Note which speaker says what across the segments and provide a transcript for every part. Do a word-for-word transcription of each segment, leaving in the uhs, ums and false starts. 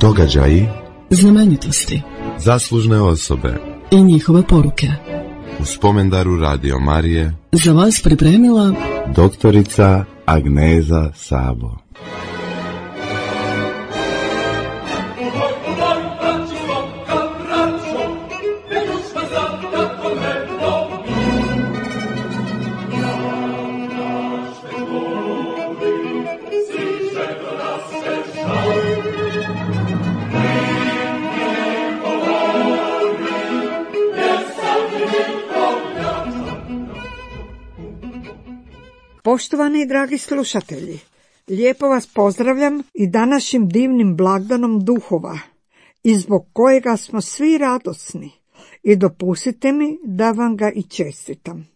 Speaker 1: Događaji,
Speaker 2: znamenitosti,
Speaker 1: zaslužne osobe
Speaker 2: i njihove poruke.
Speaker 1: U spomendaru Radio Marije
Speaker 2: Za vas pripremila
Speaker 1: doktorica Agneza Sabo.
Speaker 3: Poštovani i dragi slušatelji, lijepo vas pozdravljam i današnjim divnim blagdanom duhova, i zbog kojega smo svi radosni, i dopustite mi da vam ga i čestitam.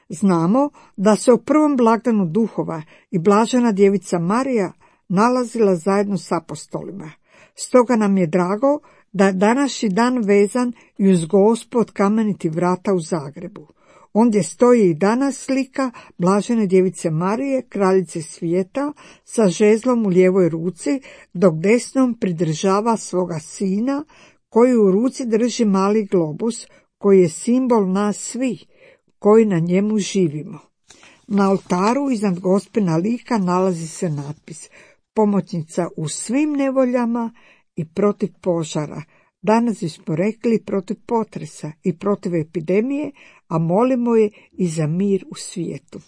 Speaker 3: Znamo da se u prvom blagdanu duhova i blažena djevica Marija nalazila zajedno s apostolima. Stoga nam je drago da je današnji dan vezan i uz Gospu od Kamenitih vrata u Zagrebu. Ondje stoji i danas slika blažene djevice Marije, kraljice svijeta, sa žezlom u lijevoj ruci, dok desnom pridržava svoga sina, koji u ruci drži mali globus, koji je simbol nas svih, koji na njemu živimo. Na oltaru iznad Gospina lika nalazi se natpis: pomoćnica u svim nevoljama i protiv požara. Danas bismo rekli protiv potresa i protiv epidemije, a molimo je i za mir u svijetu.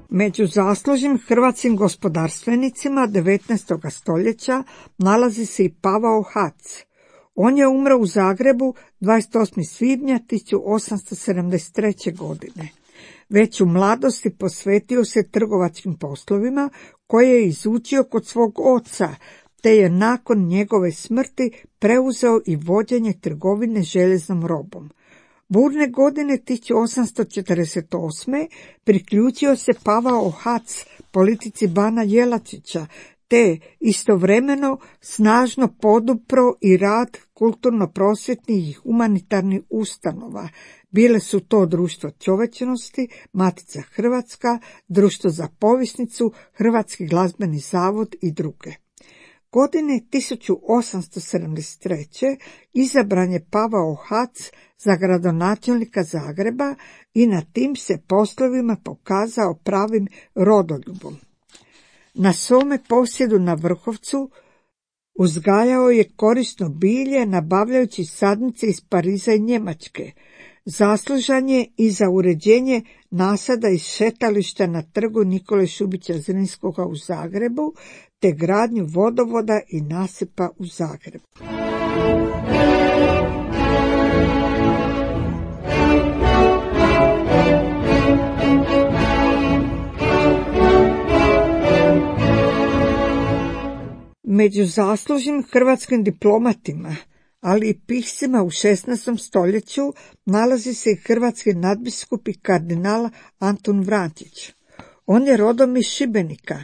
Speaker 3: Među zaslužnim hrvatskim gospodarstvenicima devetnaestog stoljeća nalazi se i Pavao Hac. On je umro u Zagrebu dvadeset osmog svibnja tisuću osamsto sedamdeset treće. godine. Već u mladosti posvetio se trgovačkim poslovima koje je izučio kod svog oca, te je nakon njegove smrti preuzeo i vođenje trgovine željeznom robom. Burne godine tisuću osamsto četrdeset osme. priključio se Pavao Hac politici bana Jelačića, te istovremeno snažno podupro i rad kulturno-prosvjetnih i humanitarnih ustanova. Bile su to Društvo čovječnosti, Matica Hrvatska, Društvo za povisnicu, Hrvatski glazbeni zavod i druge. Godine tisuću osamsto sedamdeset treće. izabran je Pavao Hac za gradonačelnika Zagreba i na tim se poslovima pokazao pravim rodoljubom. Na svome posjedu na Vrhovcu uzgajao je korisno bilje, nabavljajući sadnice iz Pariza i Njemačke. Zaslužan je i za uređenje nasada iz šetališta na trgu Nikole Šubića Zrinskoga u Zagrebu, te gradnju vodovoda i nasipa u Zagrebu. Među zaslužnim hrvatskim diplomatima, ali i piscima u šesnaestom stoljeću nalazi se i hrvatski nadbiskup i kardinal Antun Vrančić. On je rodom iz Šibenika.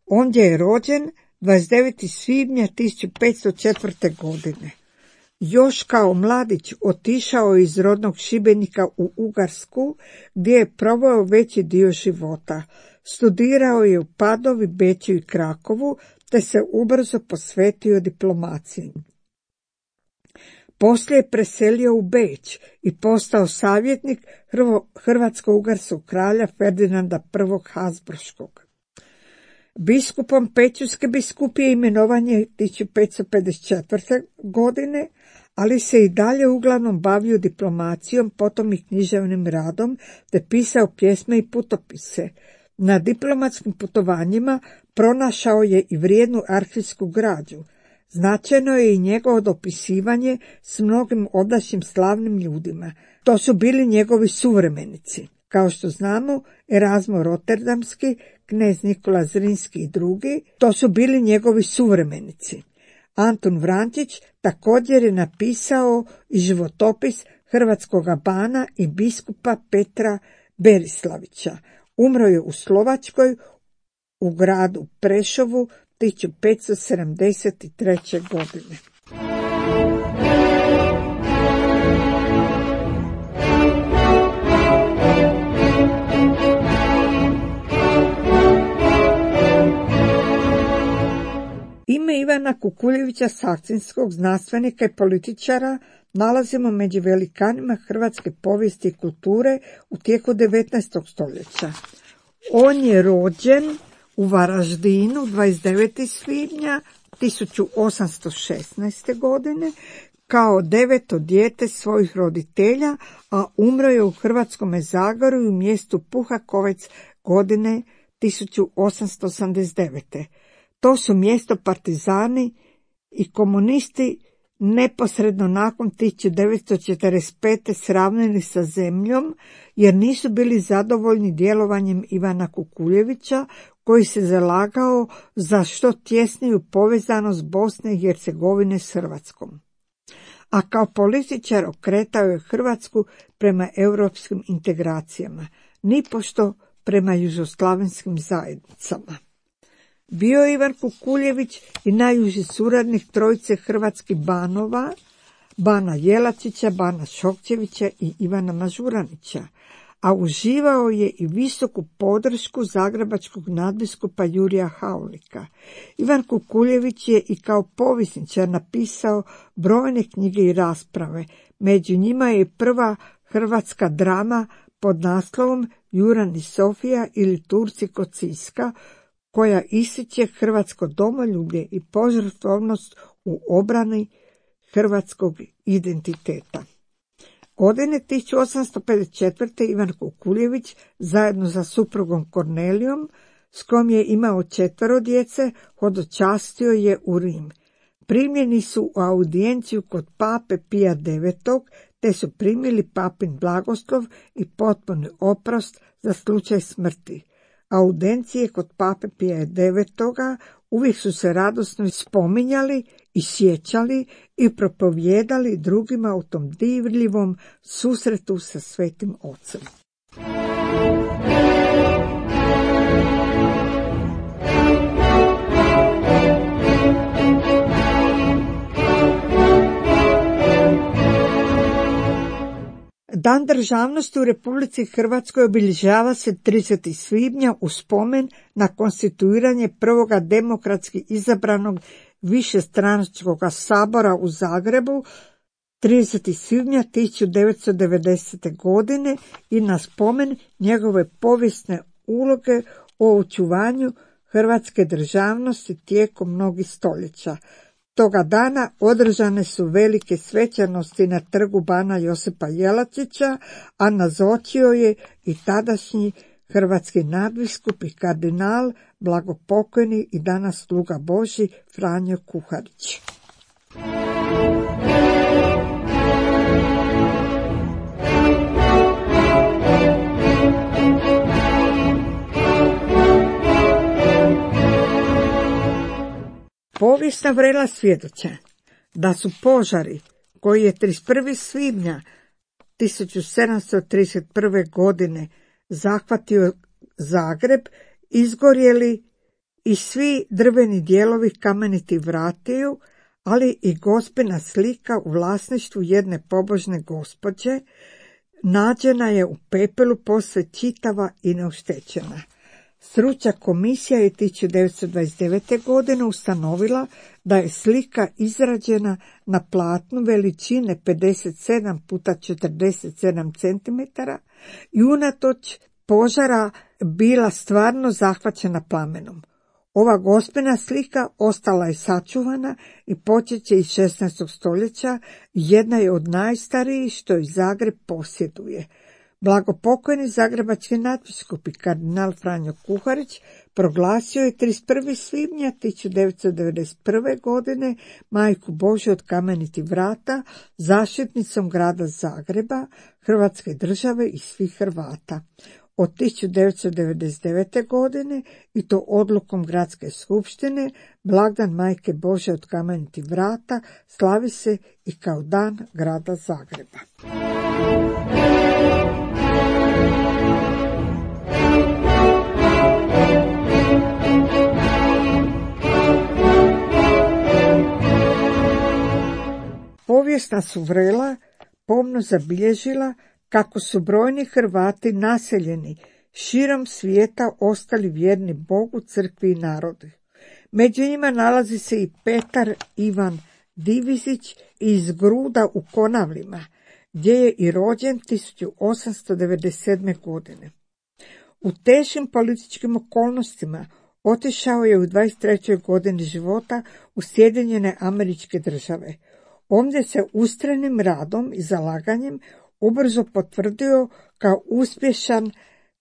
Speaker 3: Ondje je rođen dvadeset devetog svibnja tisuću petsto četvrte. godine. Još kao mladić otišao iz rodnog Šibenika u Ugarsku, gdje je proveo veći dio života. Studirao je u Padovi, Beču i Krakovu, te se ubrzo posvetio diplomaciji. Poslije je preselio u Beč i postao savjetnik hrvatsko-ugarskog kralja Ferdinanda prvog. Habsburškog. Biskupom Pećurske biskupije imenovan je tisuću petsto pedeset četvrte. godine, ali se i dalje uglavnom bavio diplomacijom, potom i književnim radom, te pisao pjesme i putopise. Na diplomatskim putovanjima pronašao je i vrijednu arhivsku građu. Značajno je i njegovo dopisivanje s mnogim odašnjim slavnim ljudima. To su bili njegovi suvremenici. Kao što znamo, Erazmo Rotterdamski, knez Nikola Zrinski i drugi, to su bili njegovi suvremenici. Antun Vrančić također je napisao i životopis hrvatskoga bana i biskupa Petra Berislavića. Umro je u Slovačkoj, u gradu Prešovu tisuću petsto sedamdeset treće. godine. Ime Ivana Kukuljevića, sakcinskog znanstvenika i političara, nalazimo među velikanima hrvatske povijesti i kulture u tijeku devetnaestog stoljeća. On je rođen u Varaždinu dvadeset devetog svibnja tisuću osamsto šesnaeste. godine kao deveto dijete svojih roditelja, a umro je u Hrvatskome Zagorju u mjestu Puhakovec godine tisuću osamsto osamdeset devete. To su mjesto partizani i komunisti neposredno nakon tisuću devetsto četrdeset pete sravnili sa zemljom jer nisu bili zadovoljni djelovanjem Ivana Kukuljevića, koji se zalagao za što tjesniju povezanost Bosne i Hercegovine s Hrvatskom. A kao političar okretao je Hrvatsku prema europskim integracijama, nipošto prema južoslavenskim zajednicama. Bio je Ivan Kukuljević i najuži suradnik trojice hrvatskih banova, Bana Jelačića, Bana Šokčevića i Ivana Mažuranića, a uživao je i visoku podršku zagrebačkog nadbiskupa Jurija Haulika. Ivan Kukuljević je i kao povjesničar napisao brojne knjige i rasprave, među njima je prva hrvatska drama pod naslovom Juran i Sofija ili Turci kod Siska, koja ističe hrvatsko domoljublje i požrtvovnost u obrani hrvatskog identiteta. Godine tisuću osamsto pedeset četvrte. Ivan Kukuljević zajedno sa suprugom Kornelijom, s kojom je imao četvero djece, hodočastio je u Rim. Primljeni su u audijenciju kod pape Pija devetog, te su primili papin blagoslov i potpuni oprost za slučaj smrti. Audijencije kod pape Pija devetog uvijek su se radosno spominjali i sjećali i propovijedali drugima u tom divljivom susretu sa Svetim Ocem. Dan državnosti u Republici Hrvatskoj obilježava se tridesetog svibnja u spomen na konstituiranje prvoga demokratski izabranog višestranačkog sabora u Zagrebu tridesetog svibnja tisuću devetsto devedesete. godine i na spomen njegove povijesne uloge o očuvanju hrvatske državnosti tijekom mnogih stoljeća. Toga dana održane su velike svečanosti na trgu Bana Josipa Jelačića, a nazočio je i tadašnji hrvatski nadbiskup i kardinal, blagopokojni i danas sluga Božji Franjo Kuharić. Povijesna vrela svjedoče da su požari koji je trideset prvog svibnja tisuću sedamsto trideset prve. godine zahvatio Zagreb izgorjeli i svi drveni dijelovi kamenitih vratiju, ali i gospina slika u vlasništvu jedne pobožne gospođe nađena je u pepelu posve čitava i neoštećena. Stručna komisija je tisuću devetsto dvadeset devete. godine ustanovila da je slika izrađena na platnu veličine pedeset sedam puta četrdeset sedam centimetara i unatoč požara bila stvarno zahvaćena plamenom. Ova gospina slika ostala je sačuvana i počeće iz šesnaestog stoljeća, jedna je od najstarijih što i Zagreb posjeduje. Blagopokojni zagrebački nadbiskup i kardinal Franjo Kuharić proglasio je trideset prvog svibnja tisuću devetsto devedeset prve. godine Majku Božju od kamenitih vrata zaštitnicom grada Zagreba, Hrvatske države i svih Hrvata. Od tisuću devetsto devedeset devete. godine i to odlukom gradske skupštine blagdan Majke Božje od kamenitih vrata slavi se i kao dan grada Zagreba. Povijesna su vrela pomno zabilježila kako su brojni Hrvati naseljeni širom svijeta ostali vjerni Bogu, crkvi i narodu. Među njima nalazi se i Petar Ivan Divizić iz Gruda u Konavlima, gdje je i rođen tisuću osamsto devedeset sedme. godine. U teškim političkim okolnostima otišao je u dvadeset trećoj godini života u Sjedinjene Američke Države. Ondje se ustrajnim radom i zalaganjem ubrzo potvrdio kao uspješan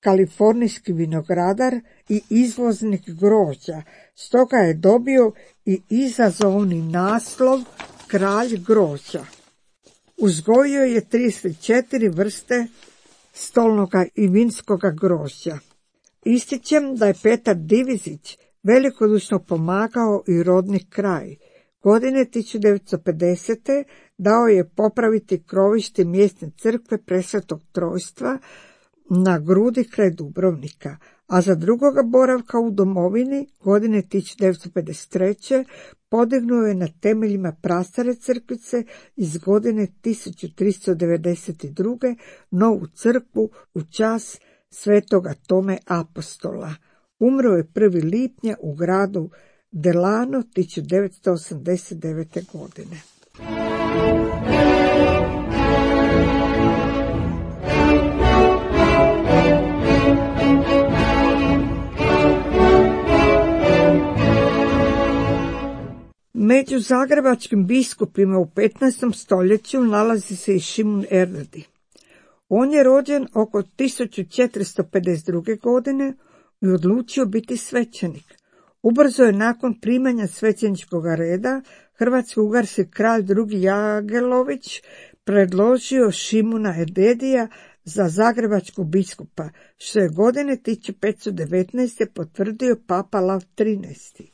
Speaker 3: kalifornijski vinogradar i izvoznik grožđa, stoga je dobio i izazovni naslov kralj grožđa. Uzgojio je trideset četiri vrste stolnoga i vinskoga grožđa. Ističem da je Petar Divizić velikodušno pomagao i rodni kraj. Godine tisuću devetsto pedesete. dao je popraviti krovište mjesne crkve Presvetog Trojstva na Grudi kraj Dubrovnika, a za drugoga boravka u domovini godine tisuću devetsto pedeset treće. podignuo je na temeljima prastare crkvice iz godine tisuću tristo devedeset druge. novu crkvu u čast svetoga Tome Apostola. Umro je prvog lipnja u gradu Delano tisuću devetsto osamdeset devete. godine. Među zagrebačkim biskupima u petnaestom stoljeću nalazi se i Šimun Erdödy. On je rođen oko tisuću četiristo pedeset druge. godine i odlučio biti svećenik. Ubrzo je nakon primanja svećeničkog reda hrvatsko-ugarski kralj drugi Jagelović predložio Šimuna Erdödyja za zagrebačkog biskupa, što je godine tisuću petsto devetnaeste. potvrdio papa Lav trinaesti.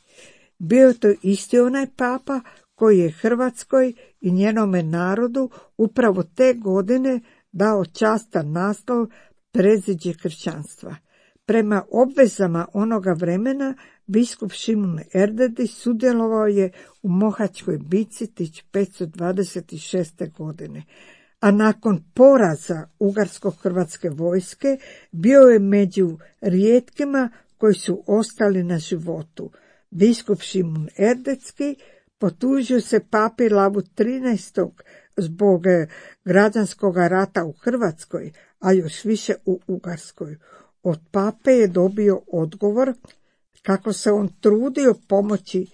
Speaker 3: Bio je to isti onaj papa koji je Hrvatskoj i njenome narodu upravo te godine dao častan naslov predziđe kršćanstva. Prema obvezama onoga vremena biskup Šimun Erdödy sudjelovao je u Mohačkoj bitci tisuću petsto dvadeset šeste. godine, a nakon poraza ugarsko-hrvatske vojske bio je među rijetkima koji su ostali na životu. Biskup Šimun Erdödy potužio se papi Lavu trinaestom. zbog građanskog rata u Hrvatskoj, a još više u Ugarskoj. Od pape je dobio odgovor kako se on trudio pomoći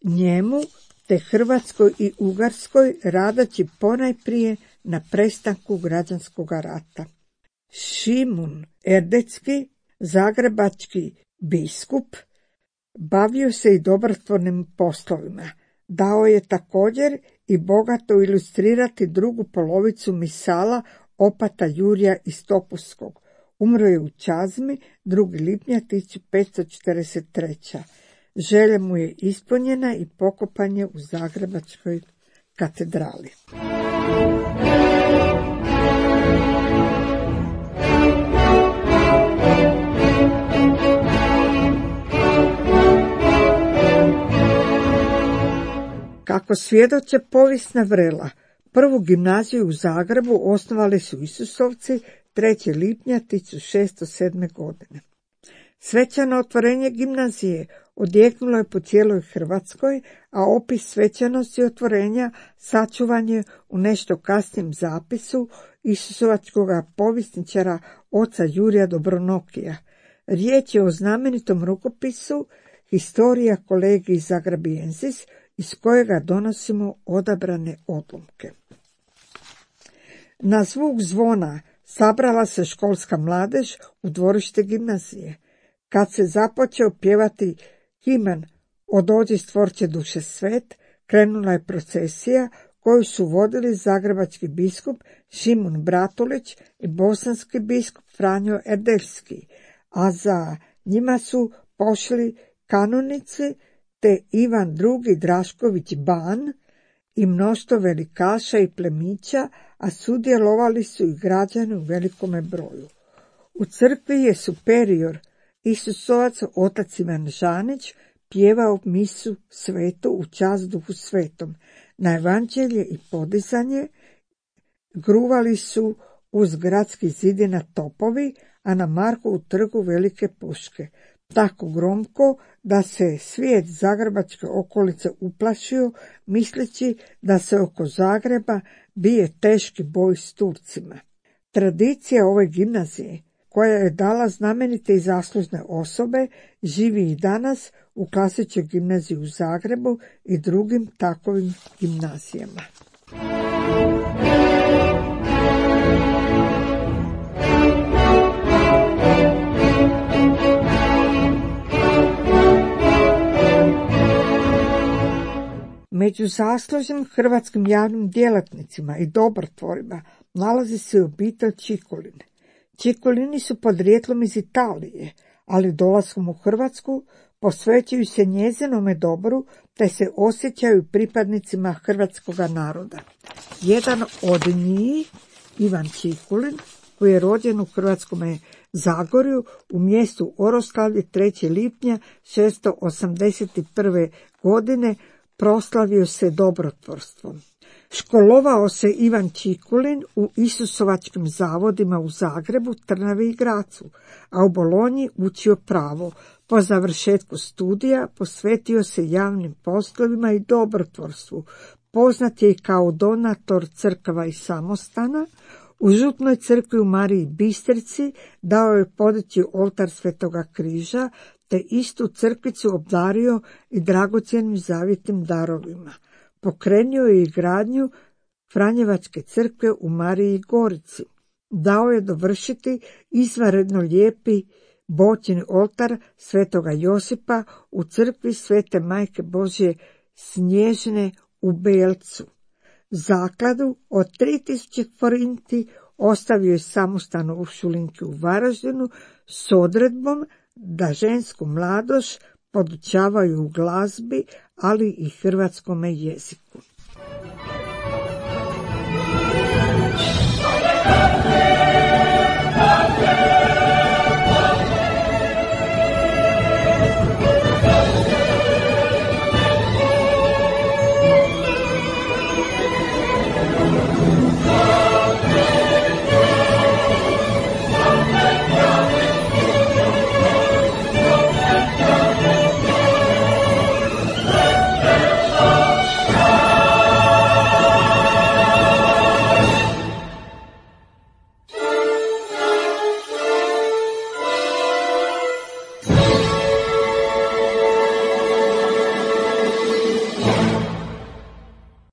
Speaker 3: njemu te Hrvatskoj i Ugarskoj, radeći ponajprije na prestanku građanskog rata. Šimun Erdödy, zagrebački biskup, bavio se i dobrotvornim poslovima. Dao je također i bogato ilustrirati drugu polovicu misala opata Jurija iz Topuskog. Umro je u Čazmi drugog lipnja tisuću petsto četrdeset treće. Želja mu je ispunjena i pokopan je u Zagrebačkoj katedrali. Kako svjedoče povijesna vrela, prvu gimnaziju u Zagrebu osnovali su Isusovci trećeg lipnja tisuću šesto sedme. godine. Svečano otvorenje gimnazije odjeknulo je po cijeloj Hrvatskoj, a opis svečanosti otvorenja sačuvan je u nešto kasnijem zapisu isusovačkog povjesničara oca Jurija Dobronokija. Riječ je o znamenitom rukopisu Historia Collegii Zagrabiensis, iz kojega donosimo odabrane odlomke. Na zvuk zvona sabrala se školska mladež u dvorište gimnazije. Kad se započeo pjevati himen O dođi stvorče duše svet, krenula je procesija koju su vodili zagrebački biskup Šimun Bratulić i bosanski biskup Franjo Erdödy, a za njima su pošli kanonici te Ivan drugi Drašković Ban i mnoštvo velikaša i plemića, a sudjelovali su i građani u velikome broju. U crkvi je superior Isusovac otac Ivan Žanić pjevao misu svetu u čast Duhu Svetom. Na evanđelje i podizanje gruvali su uz gradski zidina topovi, a na Markovu trgu velike puške. tako gromko da se svijet zagrebačke okolice uplašio, misleći da se oko Zagreba bije teški boj s Turcima. Tradicija ove gimnazije, koja je dala znamenite i zaslužne osobe, živi i danas u Klasičkoj gimnaziji u Zagrebu i drugim takovim gimnazijama. Među zaslužnim hrvatskim javnim djelatnicima i dobrotvorima nalazi se obitelj Čikulin. Čikulini su podrijetlom iz Italije, ali dolaskom u Hrvatsku posvećuju se njezinome dobru te se osjećaju pripadnicima hrvatskoga naroda. Jedan od njih, Ivan Čikulin, koji je rođen u Hrvatskome Zagorju u mjestu Oroslavlje trećeg lipnja šesto osamdeset prve. godine, proslavio se dobrotvorstvom. Školovao se Ivan Čikulin u Isusovačkim zavodima u Zagrebu, Trnavi i Gracu, a u Bolonji učio pravo. Po završetku studija posvetio se javnim poslovima i dobrotvorstvu. Poznat je i kao donator crkava i samostana. U Župnoj crkvi u Mariji Bistrici dao je podići oltar Svetoga križa, te istu crkvicu obdario i dragocjenim zavjetnim darovima. Pokrenio je i gradnju Franjevačke crkve u Mariji Gorici. Dao je dovršiti izvanredno lijepi boćin oltar Svetoga Josipa u crkvi Svete Majke Božje Snježne u Belcu. Zakladu od tri tisuće forinti ostavio je samostan u Šulinki u Varaždinu s odredbom da žensku mladost podučavaju u glazbi, ali i hrvatskome jeziku.